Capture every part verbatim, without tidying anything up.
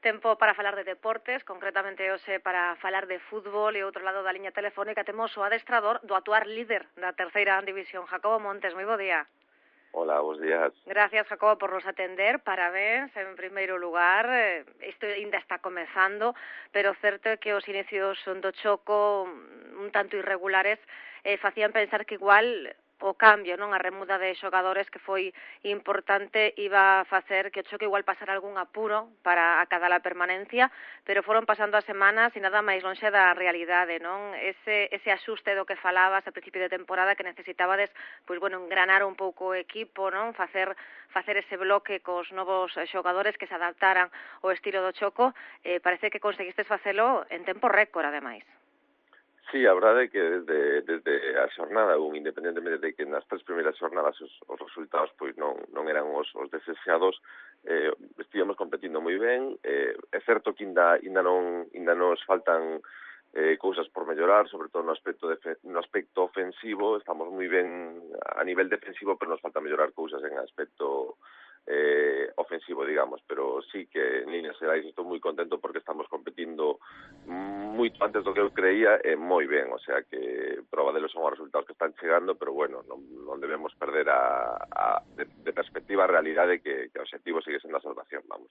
Tempo para falar de deportes, concretamente hoxe para falar de fútbol e outro lado da liña telefónica temos o adestrador do actual líder da terceira división, Jacobo Montes. Moi bo día. Hola, bons días. Gracias, Jacobo, por nos atender. Parabéns, en primeiro lugar. Isto ainda está comezando, pero certo é que os inicios do Choco un tanto irregulares eh, facían pensar que igual o cambio, non, a remuda de xogadores que foi importante iba a facer que o Choco igual pasara algún apuro para acadar a permanencia, pero foron pasando as semanas e nada máis lonxe da realidade, non? Ese, ese axuste do que falabas a principio de temporada que necesitabades, pois, bueno, engranar un pouco o equipo, non? Facer, facer ese bloque cos novos xogadores que se adaptaran ao estilo do Choco, eh, parece que conseguistes facelo en tempo récord, ademais. Sí, a verdade é que desde, desde a xornada un, independentemente de que nas tres primeiras xornadas os, os resultados pois non, non eran os, os deseados, eh, estivemos competindo moi ben. Eh, é certo que ainda, ainda, non, ainda nos faltan eh, cousas por mellorar, sobre todo no aspecto, de, no aspecto ofensivo. Estamos moi ben a nivel defensivo, pero nos falta mellorar cousas en aspecto eh, ofensivo, digamos, pero sí que en líneas xerais estou moi contento porque estamos competindo moito antes do que eu creía e moi ben, o sea que prova delos son os resultados que están chegando, pero bueno, non, non debemos perder a, a de, de perspectiva a realidade que, que o objetivo sigue sendo a salvación, vamos.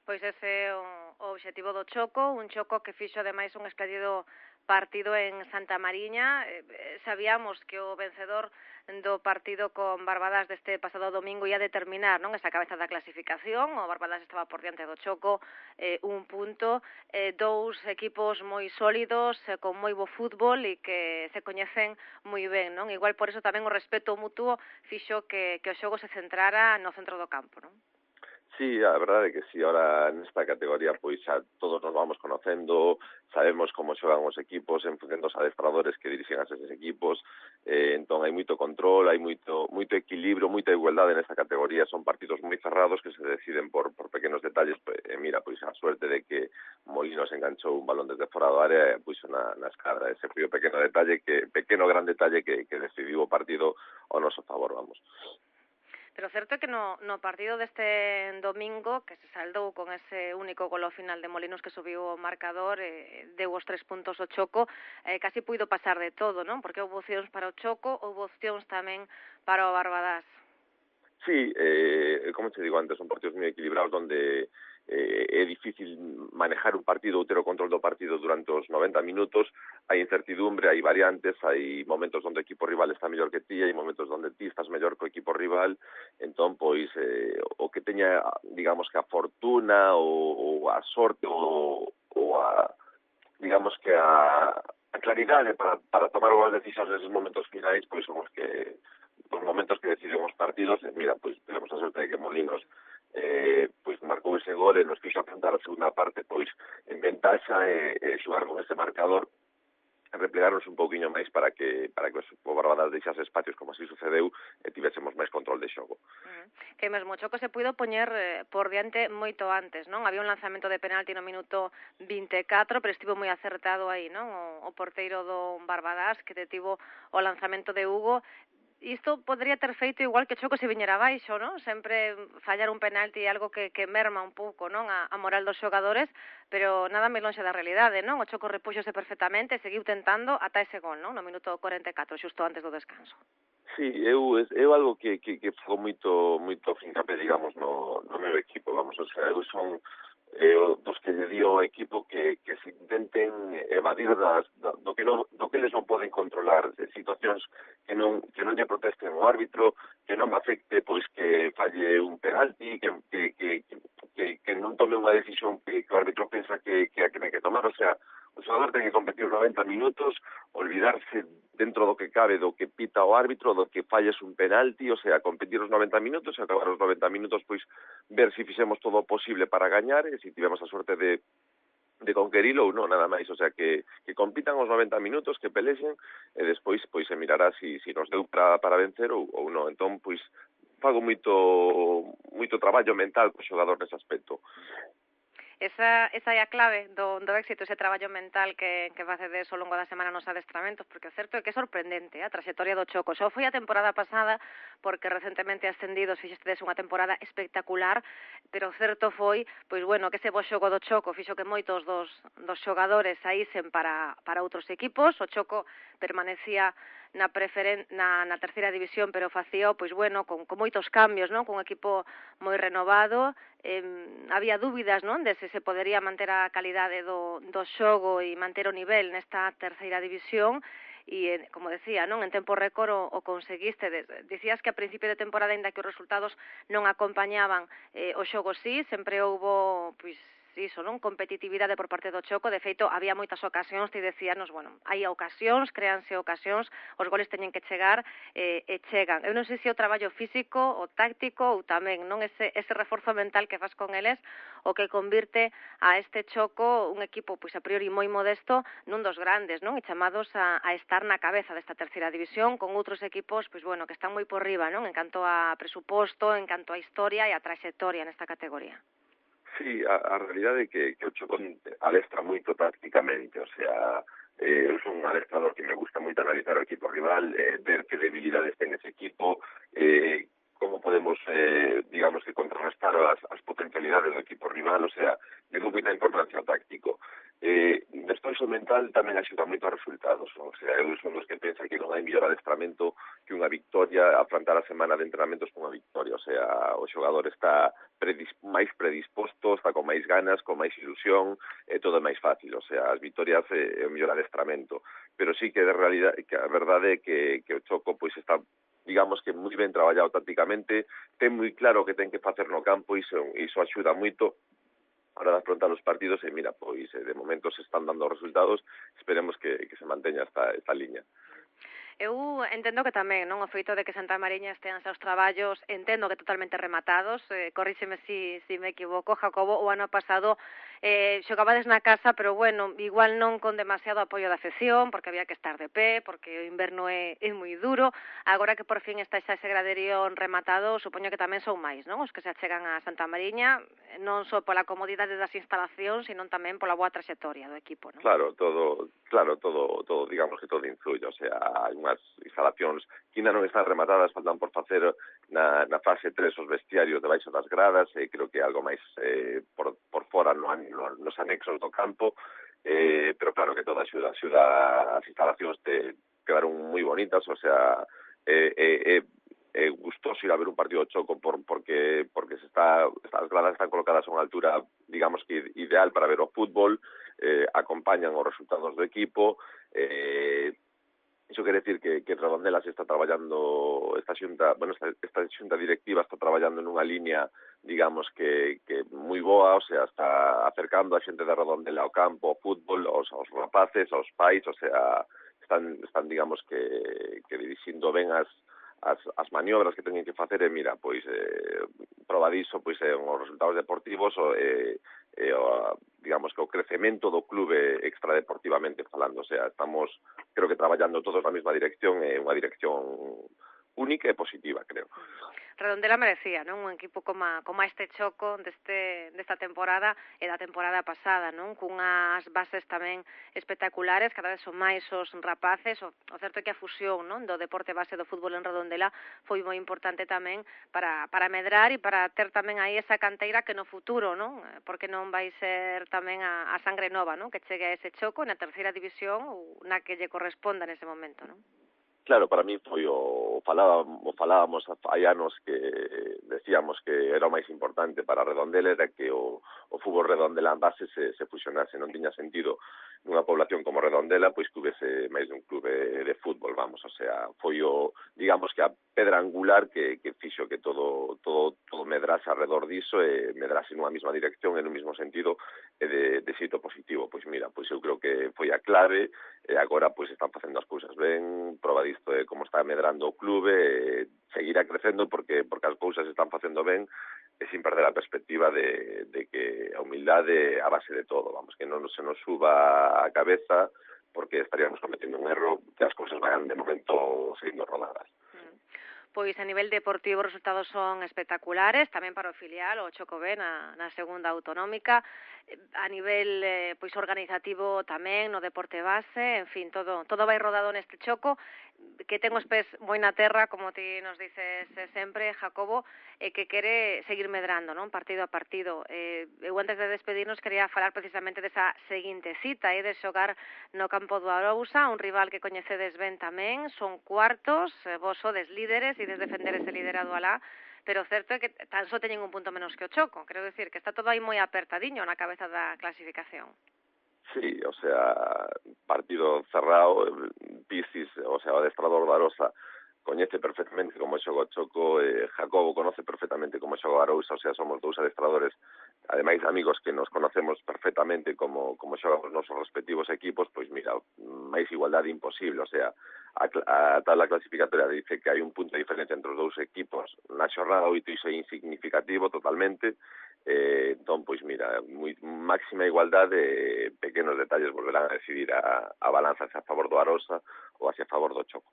Pois ese é o, o objetivo do Choco, un Choco que fixo ademais un espléndido partido en Santa Mariña. Eh, sabíamos que o vencedor do partido con Barbadas deste pasado domingo ia determinar, non, esa cabeza da clasificación. O Barbadas estaba por diante do Choco, eh, un punto, eh, dous equipos moi sólidos, eh, con moi bo fútbol e que se coñecen moi ben, non? Igual por eso tamén o respeto mutuo fixo que, que o xogo se centrara no centro do campo, non? Sí, a verdade é que sí, ahora nesta categoría pois xa todos nos vamos conocendo, sabemos como xogan os equipos en función dos adestradores que dirixen a eses equipos, eh, entón hai moito control, hai moito moito equilibrio, moita igualdade nesta categoría, son partidos moi cerrados que se deciden por, por pequenos detalles, pues, eh, mira, pois a suerte de que Molinos enganchou un balón desde fora do área e puxo na, na escadra, ese foi o pequeno detalle, que pequeno gran detalle que, que decidiu o partido ao noso favor, vamos. Pero certo é que no, no partido deste domingo, que se saldou con ese único gol ao final de Molinos que subiu o marcador, eh, deu os tres puntos ao Choco, eh, casi puido pasar de todo, non? Porque houve opcións para o Choco, houve opcións tamén para o Barbadas. Sí, eh, como te digo antes, son partidos moi equilibrados donde eh, é difícil manejar un partido ou ter o control do partido durante os noventa minutos. Hai incertidumbre, hai variantes, hai momentos onde o equipo rival está mellor que ti, hai momentos onde ti estás mellor que o equipo rival. Entón, pois, eh, o que teña, digamos que a fortuna ou, ou a sorte ou, ou a, digamos que a, a claridade para, para tomar boas decisións neses momentos finais, pois son os que os momentos que deciden os partidos. E mira, pois tenemos a sorte de que Molinos eh, pois marcou ese gol e nos fixo afrontar a segunda parte pois en ventaxa e, e xogar con ese marcador, replegarnos un pouquiño máis para que para que o Barbadas deixase espacios como así sucedeu e tivésemos máis control de xogo. Uh-huh. Que mesmo o Choco se puido poñer eh, por diante moito antes, non? Había un lanzamento de penalti no minuto vinte e catro, pero estivo moi acertado aí, non? O, o porteiro do Barbadas que detivo o lanzamento de Hugo. Isto podría ter feito igual que o Choco se viñera abaixo, non? Sempre fallar un penalti é algo que, que merma un pouco, non? A, a moral dos xogadores, pero nada máis lonxe da realidade, non? O Choco repuxose perfectamente e seguiu tentando ata ese gol, non? No minuto cuarenta e catro, xusto antes do descanso. Sí, eu, eu algo que, que, que fago moito, moito fincapé, digamos, no, no meu equipo, vamos, o sea, eu son eh, dos que lle dio ao equipo que, que se intenten evadir das, do, do, que non, do que eles non poden controlar, de situacións que non, que non lle protesten o árbitro, que non me afecte pois que falle un penalti, que, que, que, que, que non tome unha decisión que, que o árbitro pensa que, que a que ten que tomar, o sea, o xogador ten que competir os noventa minutos, olvidarse dentro do que cabe do que pita o árbitro, do que falles un penalti, o sea, competir os noventa minutos e acabar os noventa minutos, pois ver se fixemos todo o posible para gañar e se tivemos a sorte de de conquerilo ou non, nada máis, o sea, que, que compitan os noventa minutos, que pelexen e despois pois se mirará si, si nos deu para, para vencer ou, ou non. Entón, pois, fago moito moito traballo mental co xogador nese aspecto. esa, esa é a clave do, do éxito, ese traballo mental que, que facedes ao longo da semana nos adestramentos, porque o certo é que é sorprendente a traxectoria do Choco. Xa foi a temporada pasada, porque recentemente ascendidos fixestedes unha temporada espectacular, pero o certo foi, pois bueno, que ese bo xogo do Choco fixo que moitos dos, dos xogadores saísen para, para outros equipos. O Choco permanecía na preferen na, na terceira división, pero facía, pois bueno, con, con moitos cambios, non? Con un equipo moi renovado, eh, había dúbidas, non? De se se podería manter a calidade do, do xogo e manter o nivel nesta terceira división, e, como decía, non, en tempo récord o, o conseguiste. Dicías que a principio de temporada, ainda que os resultados non acompañaban eh, o xogo, sí, sempre houbo, pois, iso, non, competitividade por parte do Choco. De feito, había moitas ocasións, ti decíanos, bueno, hai ocasións, créanse ocasións, os goles teñen que chegar eh, e chegan. Eu non sei se o traballo físico, o táctico ou tamén, non, ese, ese reforzo mental que faz con eles o que convirte a este Choco un equipo, pois a priori moi modesto, nun dos grandes, non, e chamados a, a estar na cabeza desta terceira división con outros equipos, pois bueno, que están moi por riba, non, en canto a presuposto, en canto a historia e a traxectoria nesta categoría. Sí, a, a realidade é que, que o Choco adestra moito tácticamente, o sea, eh, eu son un adestrador que me gusta moito analizar o equipo rival, eh, ver que debilidades ten ese equipo, eh, como podemos, eh, digamos que contrarrestar as, as potencialidades do equipo rival, o sea, de moita importancia o táctico. Eh, despois o mental tamén axuda moito aos resultados, o sea, eu son dos que pensa que non hai mellor adestramento que unha victoria, afrontar a semana de entrenamentos con unha victoria, o sea, o xogador está predis, máis predisposto, está con máis ganas, con máis ilusión, é todo máis fácil, o sea, as victorias é, é o mellor adestramento, pero sí que de realidade, que a verdade é que, que o Choco pois está, digamos que moi ben traballado tácticamente, ten moi claro o que ten que facer no campo, e iso, iso axuda moito a hora de afrontar os partidos, e mira, pois de momento se están dando resultados, esperemos que, que se manteña esta, esta liña. Eu entendo que tamén, non, o feito de que Santa Mariña estean xa os traballos, entendo que totalmente rematados, eh, corríxeme si, si me equivoco, Jacobo, o ano pasado eh, xogabades na casa, pero bueno, igual non con demasiado apoio da afección, porque había que estar de pé, porque o inverno é, é moi duro. Agora que por fin está xa ese graderío rematado, supoño que tamén son máis, non, os que se achegan a Santa Mariña, non só pola comodidade das instalacións, sino tamén pola boa traxectoria do equipo, non? Claro, todo, claro, todo, todo, digamos que todo influye, o sea, hai unhas instalacións que ainda non están rematadas, faltan por facer na, na fase tres os vestiarios debaixo das gradas, e creo que algo máis eh, por, por fora no, no, nos anexos do campo, eh, pero claro que toda axuda, axuda as instalacións te quedaron moi bonitas, o sea, eh, eh, eh, é gustoso ir a ver un partido de Choco por, porque porque se está, as gradas están colocadas a unha altura, digamos que ideal para ver o fútbol, eh, acompañan os resultados do equipo, eh, iso quere decir que, que Redondela se está traballando, esta xunta, bueno, esta, esta xunta directiva está traballando nunha línea, digamos que, que moi boa, o sea, está acercando a xente de Redondela ao campo, ao fútbol, aos, aos rapaces, aos pais, o sea, están, están digamos que, que dirixindo ben as As, as maniobras que teñen que facer, e mira, pois eh, proba diso, pois é eh, os resultados deportivos, o, eh, eh, o, digamos que o crecemento do clube extradeportivamente falando, o sea, estamos, creo que traballando todos na mesma dirección, é eh, unha dirección única e positiva, creo. Redondela merecía, non? Un equipo como, como este Choco deste, desta temporada e da temporada pasada, non? Cunhas bases tamén espectaculares, cada vez son máis os rapaces, o, o certo é que a fusión, non, do deporte base do fútbol en Redondela foi moi importante tamén para, para medrar e para ter tamén aí esa canteira que no futuro, non? Porque non vai ser tamén a, a sangre nova, non? Que chegue a ese Choco na terceira división ou na que lle corresponda nese momento, non? Claro, para mí foi o falábamos, o falábamos hai anos que decíamos que era o máis importante para Redondela, era que o, o fútbol Redondela en base se, se fusionase, non tiña sentido nunha población como Redondela pois que houvese máis dun clube de fútbol, vamos, o sea, foi o, digamos que a pedra angular que, que fixo que todo todo todo medrase alrededor diso e medrase nunha mesma dirección e no mesmo sentido e de, de xeito positivo. Pois mira, pois eu creo que foi a clave e agora pois están facendo as cousas ben, proba disto de como está medrando o clube, e seguirá crecendo porque porque as cousas están facendo ben e sin perder a perspectiva de, de que a humildade é a base de todo, vamos, que non se nos suba a cabeza porque estaríamos cometendo un erro que as cousas vayan de momento seguindo rodadas. pois a nivel deportivo os resultados son espectaculares, tamén para o filial, o Choco B na, na segunda autonómica, a nivel eh, pois organizativo tamén no deporte base, en fin, todo todo vai rodado neste Choco, que ten os pés moi na terra, como ti nos dices sempre, Jacobo, e que quere seguir medrando, non, partido a partido. Eh, eu antes de despedirnos quería falar precisamente desa seguinte cita, e de xogar no campo do Arousa, un rival que coñecedes ben tamén, son cuartos, eh, vos sodes líderes e des defender ese liderado alá, pero o certo é que tan só teñen un punto menos que o Choco, quero decir que está todo aí moi apertadiño na cabeza da clasificación. Sí, o sea, partido cerrado, Pisis, o sea, o adestrador da Arosa coñece perfectamente como xoga o Choco, eh, Jacobo conoce perfectamente como xoga o Arousa, o sea, somos dous adestradores, ademais amigos que nos conocemos perfectamente como, como xogan os nosos respectivos equipos, pois mira, máis igualdade imposible, o sea, a, a tabla clasificatoria dice que hai un punto de diferencia entre os dous equipos, na xornada oito iso é insignificativo totalmente, eh, entón, pois mira, moi, máxima igualdade, pequenos detalles volverán a decidir a, a balanza hacia a favor do Arosa ou hacia a favor do Choco.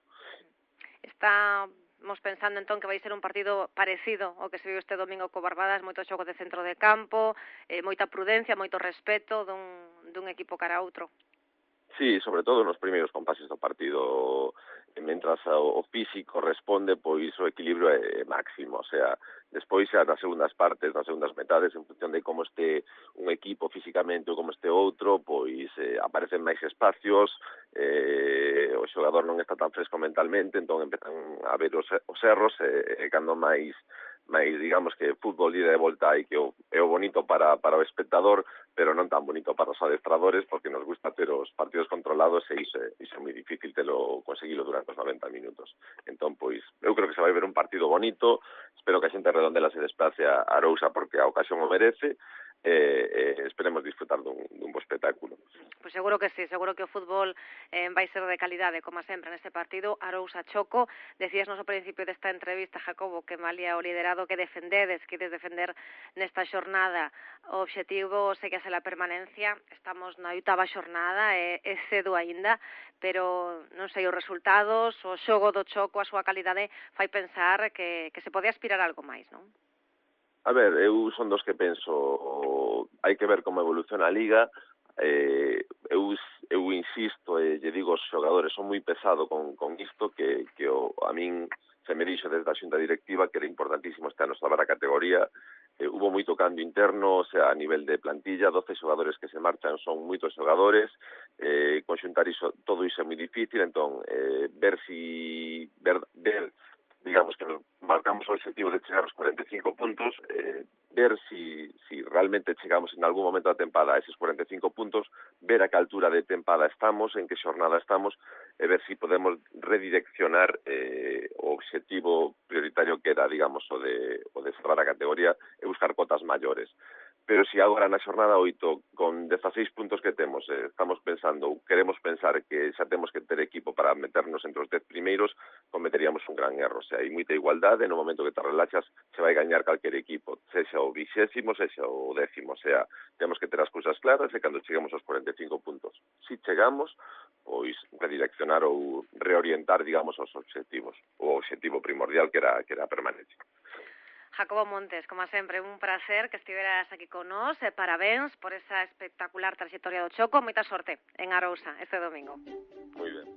Estamos pensando entón que vai ser un partido parecido ao que se viu este domingo co Barbadas, moito xogo de centro de campo, eh, moita prudencia, moito respeto dun, dun equipo cara a outro. Sí, sobre todo nos primeiros compases do partido, mentras o físico responde, pois o equilibrio é máximo, o sea, despois xa nas segundas partes, nas segundas metades, en función de como este un equipo físicamente ou como este outro, pois eh, aparecen máis espacios, eh, o xogador non está tan fresco mentalmente, entón empezan a ver os, os erros, e eh, cando máis máis, digamos que fútbol ida de volta e que o, é o bonito para, para o espectador, pero non tan bonito para os adestradores, porque nos gusta ter os partidos controlados e iso, iso é moi difícil telo conseguilo durante os noventa minutos. Entón, pois, eu creo que se vai ver un partido bonito, espero que a xente redondela se desplace a Arousa porque a ocasión o merece, e eh, esperemos disfrutar dun, dun bo espectáculo. Pois seguro que sí, seguro que o fútbol eh, vai ser de calidade, como sempre, neste partido, Arousa-Choco. Decías nos ao principio desta entrevista, Jacobo, que malia o liderado que defendedes, que ides defender nesta xornada, o obxectivo segue a ser a permanencia. Estamos na oitava xornada, é, é cedo aínda, pero non sei, os resultados, o xogo do Choco, a súa calidade, fai pensar que, que se pode aspirar a algo máis, non? A ver, eu son dos que penso, hai que ver como evoluciona a Liga, eh, eu, eu insisto e lle digo aos xogadores, son moi pesado con, con isto, que, que o, a min se me dixo desde a xunta directiva que era importantísimo este ano salvar a categoría, eh, hubo moito cambio interno, o sea, a nivel de plantilla, doce xogadores que se marchan son moitos xogadores, eh, conxuntar iso, todo iso é moi difícil, entón, eh, ver si, ver, ver digamos que marcamos o objetivo de chegar aos cuarenta e cinco puntos, eh, ver si, si realmente chegamos en algún momento da tempada a eses cuarenta e cinco puntos, ver a que altura de tempada estamos, en que xornada estamos, e ver si podemos redireccionar eh, o objetivo prioritario que era, digamos, o de, o de cerrar a categoría e buscar cotas maiores. Pero si agora na xornada oito, con dezaseis puntos que temos, eh, estamos pensando, queremos pensar que xa temos que ter equipo para meternos entre os dez primeiros, cometeríamos un gran erro. O sea, hai moita igualdade, no momento que te relaxas, se vai gañar calquer equipo, sexa o vixésimo, sexa o décimo. O sea, temos que ter as cousas claras e cando cheguemos aos cuarenta e cinco puntos, si chegamos, pois redireccionar ou reorientar, digamos, os obxectivos. O obxectivo primordial que era, que era a permanencia. Jacobo Montes, como sempre, un placer que estiveras aquí con nós, e parabéns por esa espectacular trayectoria do Choco, moita sorte en Arousa este domingo. Moi ben.